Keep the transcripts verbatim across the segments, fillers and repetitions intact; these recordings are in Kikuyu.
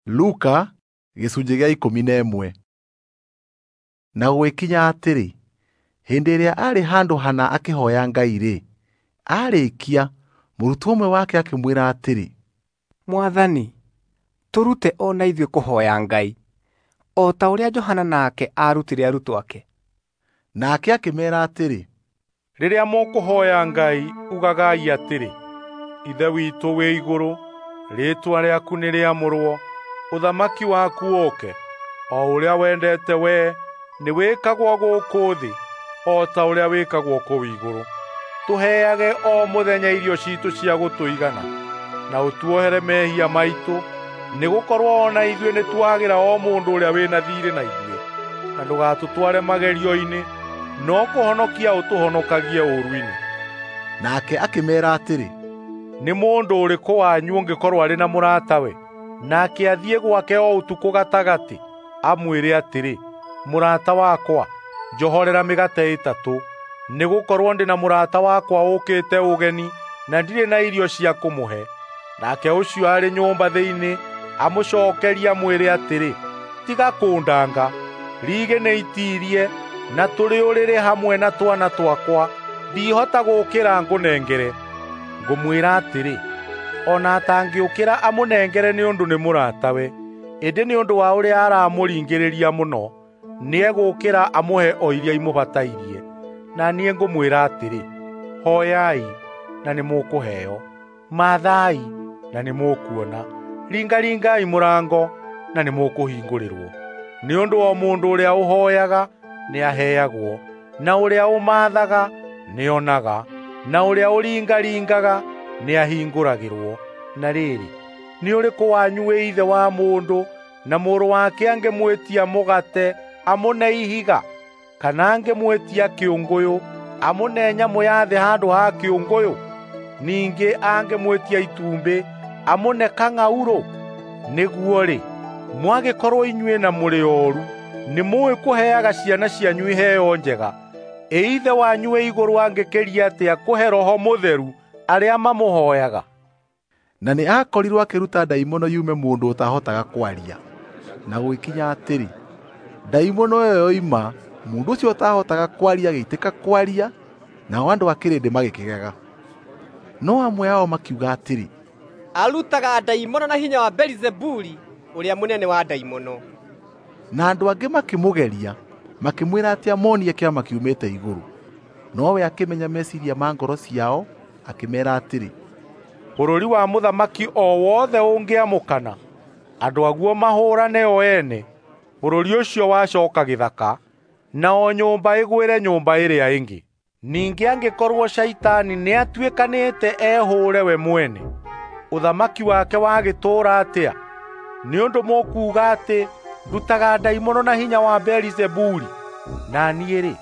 Luka gĩcunjĩ gĩa ikũmi na ĩmwe. Na gũgĩkinya atĩrĩ, hĩndĩ ĩrĩa aarĩ handũ hana akĩhoya Ngai-rĩ, aarĩkia, mũrutwo ũmwe wake akĩmwĩra atĩrĩ, "Mwathani, tũrute o na ithuĩ kũhoya Ngai, o ta ũrĩa Johana nake aarutire arutwo ake." Nake akĩmeera atĩrĩ, "Rĩrĩa mũkũhoya Ngai, ugagai atĩrĩ, Ithe witũ wĩ igũrũ, rĩĩtwa rĩaku nĩrĩamũrwo, ũthamaki waku ũũke, o ũrĩa wendete wee nĩwĩkagwo gũkũ thĩ o ta ũrĩa wĩkagwo kũu igũrũ. Tũheage o mũthenya irio ciitũ cia gũtũigana, na ũtuohere mehia maitũ, nĩgũkorwo o na ithuĩ nĩtuohagĩra o mũndũ ũrĩa wĩna thiirĩ na ithuĩ. Na ndũgatũtware magerio-inĩ, no kũhonokia ũtũhonokagie ũũru-inĩ." Nake akĩmeera atĩrĩ, "Nĩ mũndũ ũrĩkũ wanyu ũngĩkorwo arĩ na mũratawe, nake athiĩ gwake o ũtukũ gatagatĩ, amwĩre atĩrĩ, 'Mũrata wakwa, njohorera mĩgate ĩtatũ, nĩgũkorwo ndĩ na mũrata wakwa ũũkĩte ũgeni na ndirĩ na irio cia kũmũhe.' Nake ũcio arĩ nyũmba thĩinĩ amũcookerie amwĩre atĩrĩ, 'Tiga kũndanga, riigĩ nĩitiirie na tũrĩ ũrĩrĩ hamwe na twana twakwa, ndihota gũũkĩra ngũnengere.' Ngũmwĩra atĩrĩ, o na atangĩũkĩra amũnengere nĩ ũndũ nĩ mũratawe, ĩndĩ nĩ ũndũ wa ũrĩa aramũringĩrĩria mũno, nĩegũũkĩra amũhe o iria imũbatairie. Na niĩ ngũmwĩra atĩrĩ, hoyai na nĩmũkũheo, maathai na nĩmũkuona, ringaringai mũrango na nĩmũkũhingũrĩrwo. Nĩ ũndũ o mũndũ ũrĩa ũhooyaga nĩaheagwo, na ũrĩa ũmaathaga nĩonaga, na ũrĩa ũringaringaga nĩahingũragĩrwo. Na rĩrĩ, nĩ ũrĩkũ wanyu wĩ ithe wa mũndũ na mũrũ wake angĩmwĩtia mũgate amũne ihiga, kana angĩmwĩtia kĩũngũyũ amũne nyamũ ya thĩ handũ ha kĩũngũyũ? Ningĩ angĩmwĩtia itumbĩ amũne kang'aurũ? Nĩguo-rĩ, mwagĩkorwo inyuĩ na mũrĩ ooru, nĩmũũĩ kũheaga ciana cianyu iheo njega, ĩ Ithe wanyu wĩ igũrũ angĩkĩria atĩa kũhe Roho Mũtheru arĩa mamũhooyaga?" Na nĩ aakorirwo akĩruta ndaimono yume mũndũ ũtahotaga kwaria. Na gũgĩkinya atĩrĩ, ndaimono ĩyo yoima, mũndũ ũcio ũtahotaga kwaria agĩitĩka kwaria, nao andũ a kĩrĩndĩ magĩkĩgega. No amwe ao makiuga atĩrĩ, "Arutaga ndaimono na hinya wa Beelizebuli, ũrĩa mũnene wa ndaimono." Na andũ angĩ makĩmũgeria, makĩmwĩra atĩ amonie kĩama kiumĩte igũrũ. Nowe akĩmenya meciiria ma ngoro ciao, akĩmeera atĩrĩ, "Bũrũri wa mũthamaki o wothe ũngĩamũkana, andũ aguo mahũũrane o ene, bũrũri ũcio wacooka gĩthaka, na o nyũmba ĩgwĩre nyũmba ĩrĩa ĩngĩ. Ningĩ angĩkorwo Shaitani nĩatuĩkanĩte ehũũre we mwene, ũthamaki wake wagĩtũũra atĩa? Nĩ ũndũ mũkuuga atĩ ndutaga ndaimono na hinya wa Beelizebuli. Na niĩ-rĩ,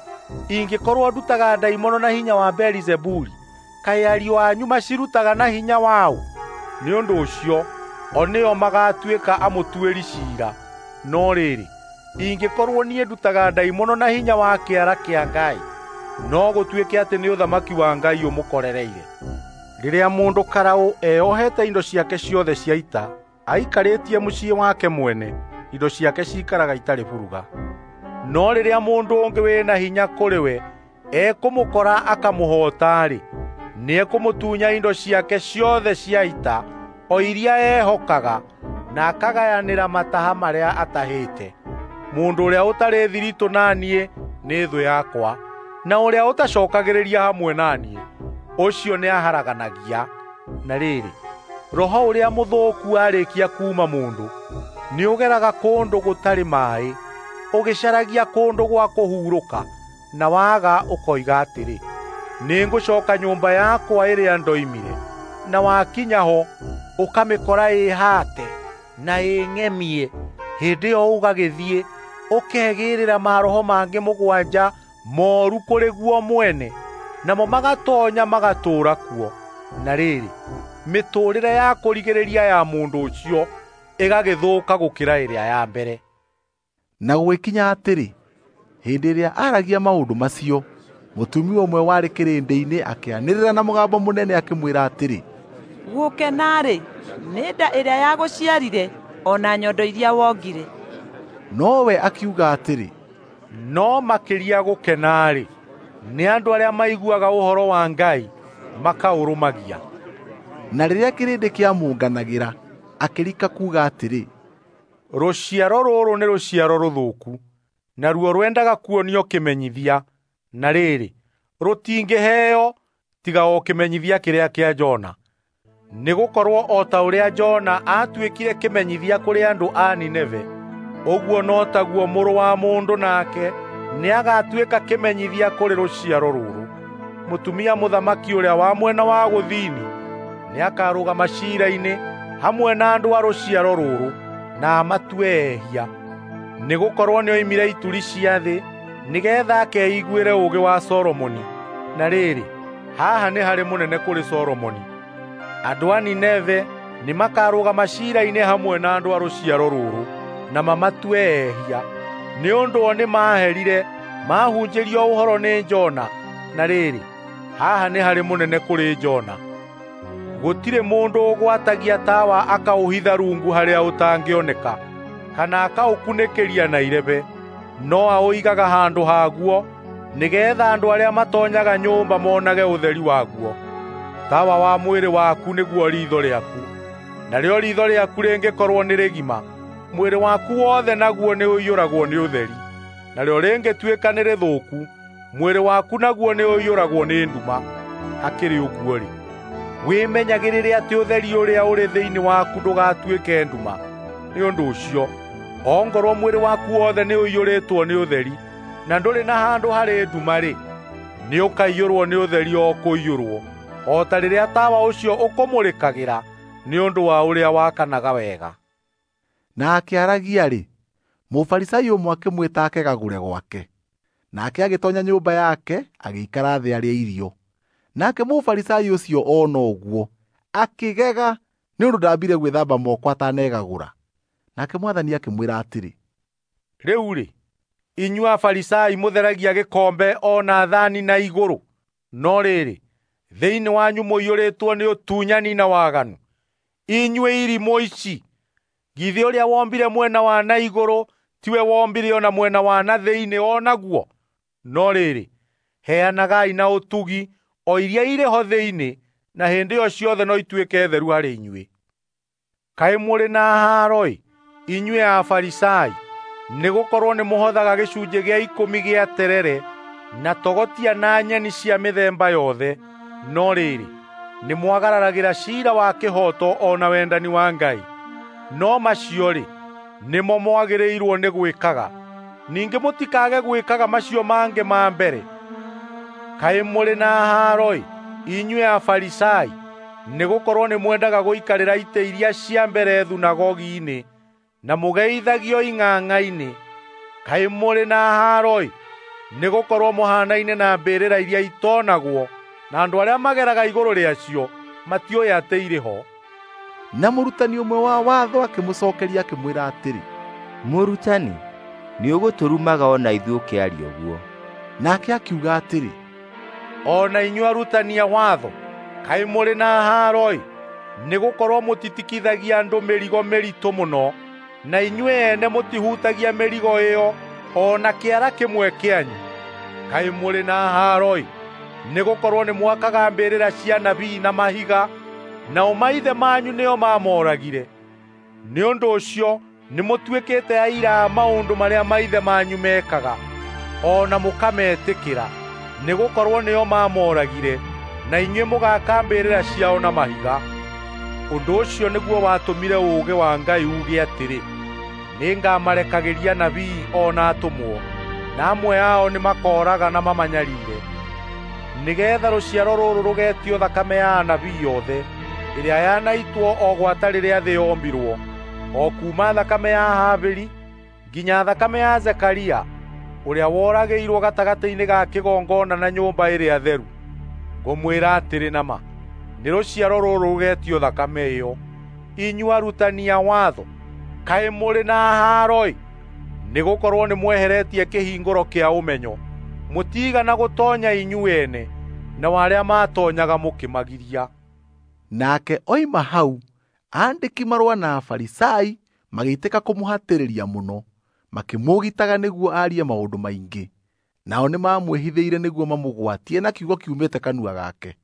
ingĩkorwo ndutaga ndaimono na hinya wa Beelizebuli, kaĩ ariũ anyu macirutaga na hinya waũ? Nĩ ũndũ ũcio o nĩo magatuĩka amũtuĩri ciira. No rĩrĩ, ingĩkorwo niĩ ndutaga ndaimono na hinya wa kĩara kĩa Ngai, no gũtuĩke atĩ nĩ ũthamaki wa Ngai ũmũkorereire. Rĩrĩa mũndũ karaũ eohete indo ciake ciothe cia ita, aikarĩtie mũciĩ wake mwene, indo ciake ciikaraga itarĩ buruga. No rĩrĩa mũndũ ũngĩ wĩna hinya kũrĩ we ekũmũkora akamũhoota-rĩ, nĩekũmũtunya indo ciake ciothe cia ita, o iria ehokaga, na akagayanĩra mataha marĩa atahĩte. Mũndũ ũrĩa ũtarĩ thiritũ na niĩ nĩ thũ yakwa, na ũrĩa ũtacookagĩrĩria hamwe na niĩ, ũcio nĩaharaganagia. Na rĩrĩ, roho ũrĩa mũthũku aarĩkia kuuma mũndũ, nĩũgeraga kũndũ gũtarĩ maaĩ, ũgĩcaragia kũndũ gwa kũhurũka, na waga ũkoiga atĩrĩ, 'Nĩngũcooka nyũmba yakwa ĩrĩa ndoimire.' Na wakinya ho, ũkamĩkora ĩhaate na ĩng'emie. Hĩndĩ ĩyo ũgagĩthiĩ ũkegĩĩrĩra maroho mangĩ mũgwanja mooru kũrĩ guo mwene, namo magatoonya magatũũra kuo. Na rĩrĩ, mĩtũũrĩre ya kũrigĩrĩria ya mũndũ ũcio ĩgagĩthũka gũkĩra ĩrĩa ya mbere." Na gũgĩkinya atĩrĩ, hĩndĩ ĩrĩa aaragia maũndũ macio, mũtumia ũmwe warĩ kĩrĩndĩ-inĩ akĩanĩrĩra na mũgambo mũnene akĩmwĩra atĩrĩ, "Gũkena-rĩ, nĩ nda ĩrĩa yagũciarire o na nyondo iria wongire. Nowe akiuga atĩrĩ, no makĩria gũkena-rĩ, nĩ andũ arĩa maiguaga ũhoro wa Ngai makaũrũmagia. Na rĩrĩa kĩrĩndĩ kĩamũnganagĩra, akĩrika kuuga atĩrĩ, rũciaro rũrũ nĩ rũciaro rũthũku, naruo rwendaga kuonio kĩmenyithia, na rĩrĩ, rũtingĩheo tiga o kĩmenyithia kĩrĩa kĩa Jona. Nĩgũkorwo o ta ũrĩa Jona aatuĩkire kĩmenyithia kũrĩ andũ a Nineve, ũguo no taguo Mũrũ wa Mũndũ nake nĩagatuĩka kĩmenyithia kũrĩ rũciaro rũrũ. Mũtumia mũthamaki ũrĩa wa mwena wa gũthini nĩakarũgama ciira-inĩ hamwe na andũ a rũciaro rũrũ na amatue ehia, nĩgũkorwo nĩoimire ituri cia thĩ nĩgeetha akeiguĩre ũũgĩ wa Solomoni. Na rĩrĩ, haha nĩ harĩ mũnene kũrĩ Solomoni. Andũ a Nineve nĩmakarũgama ciira-inĩ hamwe na andũ a rũciaro rũrũ na mamatue ehia, nĩ ũndũ o nĩmaherire mahunjĩrio ũhoro nĩ Jona. Na rĩrĩ, haha nĩ harĩ mũnene kũrĩ Jona. Gũtirĩ mũndũ ũgwatagia tawa akaũhitha rungu harĩa ũtangĩoneka, kana akaũkunĩkĩria na irebe, no aũigaga handũ haguo nĩgeetha andũ arĩa matonyaga nyũmba monage ũtheri waguo. Tawa wa mwĩrĩ waku nĩguo riitho rĩaku, narĩo riitho rĩaku rĩngĩkorwo nĩ rĩgima, mwĩrĩ waku wothe naguo nĩũiyũragwo nĩ ũtheri. Narĩo rĩngĩtuĩka nĩ rĩthũku, mwĩrĩ waku naguo nĩũiyũragwo nĩ nduma. Hakĩrĩ ũguo-rĩ, wĩmenyagĩrĩre atĩ ũtheri ũrĩa ũrĩ thĩinĩ waku ndũgatuĩke nduma. Nĩ ũndũ ũcio, ongorwo mwĩrĩ waku wothe nĩũiyũrĩtwo nĩ ũtheri, na ndũrĩ na handũ harĩ nduma-rĩ, nĩũkaiyũrwo nĩ ũtheri o kũiyũrwo, o ta rĩrĩa tawa ũcio ũkũmũrĩkagĩra nĩ ũndũ wa ũrĩa wakanaga wega. Na akĩaragia-rĩ, Mũfarisai ũmwe akĩmwĩta akegagũre gwake. Nake agĩtonya nyũmba yake agĩikara thĩ arĩe irio. Nake Mũfarisai ũcio ona ũguo akĩgega nĩ ũndũ ndambire gwĩthamba moko atanegagũra. Nake Mwathani akĩmwĩra atĩrĩ, rĩu-rĩ, inyuĩ Afarisai mũtheragia gĩkombe o na thani na igũrũ, no rĩrĩ, thĩinĩ wanyu mũiyũrĩtwo nĩ ũtunyani na waganu. Inyuĩ irimũ ici, githĩ ũrĩa wombire mwena wa na igũrũ tiwe wombire ona mwena wa na thĩinĩ o naguo? No rĩrĩ, heanagai na ũtugi o iria irĩ ho thĩinĩ, na hĩndĩ ĩyo ciothe no ituĩke theru harĩ inyuĩ. Kaĩ mũrĩ na haaro-ĩ, inyuĩ Afarisai, nĩgũkorwo nĩmũhothaga gĩcunjĩ gĩa ikũmi gĩa terere na togotia na nyeni cia mĩthemba yothe, no rĩrĩ, nĩmwagararagĩra ciira wa kĩhooto o na wendani wa Ngai. No macio-rĩ, nĩmo mwagĩrĩirwo nĩ gwĩkaga, ningĩ mũtikage gwĩkaga macio mangĩ ma mbere. Kaĩ mũrĩ na haaro-ĩ, inyuĩ Afarisai, nĩgũkorwo nĩmwendaga gũikarĩra itĩ iria cia mbere thunagogi-inĩ na mũgeithagio ing'ang'a-inĩ. Kaĩ mũrĩ na haaro-ĩ, nĩgũkorwo mũhanaine na mbĩrĩra iria itonagwo, na andũ arĩa mageraga igũrũ rĩacio matiũĩ atĩ irĩ ho. Na mũrutani ũmwe wa watho akĩmũcookeria akĩmwĩra atĩrĩ, Mũrutani, nĩũgũtũrumaga o na ithuĩ ũkĩaria ũguo. Nake akiuga atĩrĩ, o na inyuĩ arutani a watho, kaĩ mũrĩ na haaro-ĩ, nĩgũkorwo mũtitikithagia andũ mĩrigo mĩritũ mũno, na inyuĩ ene mũtihutagia mĩrigo ĩyo o na kĩara kĩmwe kĩanyu. Kaĩ mũrĩ na haaro-ĩ, nĩgũkorwo nĩmwakaga mbĩrĩra cia nabii na mahiga, nao maithe manyu nĩo maamoragire. Nĩ ũndũ ũcio nĩmũtuĩkĩte aira a maũndũ marĩa maithe manyu mekaga, o na mũkametĩkĩra, nĩgũkorwo nĩo maamoragire, na inyuĩ mũgaaka mbĩrĩra ciao na mahiga. Ũndũ ũcio nĩguo watũmire ũũgĩ wa Ngai uuge atĩrĩ, nĩngamarekagĩria nabii o na atũmwo, na amwe ao nĩmakooraga na mamanyariire, nĩgeetha rũciaro rũrũ rũgetio thakame ya anabii othe ĩrĩa yanaitwo o gwata rĩrĩa thĩ yombirwo, o kuuma thakame ya Habili nginya thakame ya Zekaria ũrĩa woragĩirwo gatagatĩ-inĩ ga kĩgongona na nyũmba ĩrĩa theru. Ngũmwĩra atĩrĩ na ma, nĩ rũciaro rũrũ rũgetio thakame ĩyo. Inyuĩ arutani a watho, kaĩ mũrĩ na haaro-ĩ, nĩgũkorwo nĩmweheretie kĩhingũro kĩa ũmenyo. Mũtiigana gũtoonya inyuĩ ene, nao arĩa maatonyaga mũkĩmagiria. Nake oima hau, aandĩki marũa na Afarisai magĩitĩka kũmũhatĩrĩria mũno, makĩmũũgitaga nĩguo aarie maũndũ maingĩ. Nao nĩmamwĩhithĩire nĩguo mamũgwatie na kiugo kiumĩte kanua gake.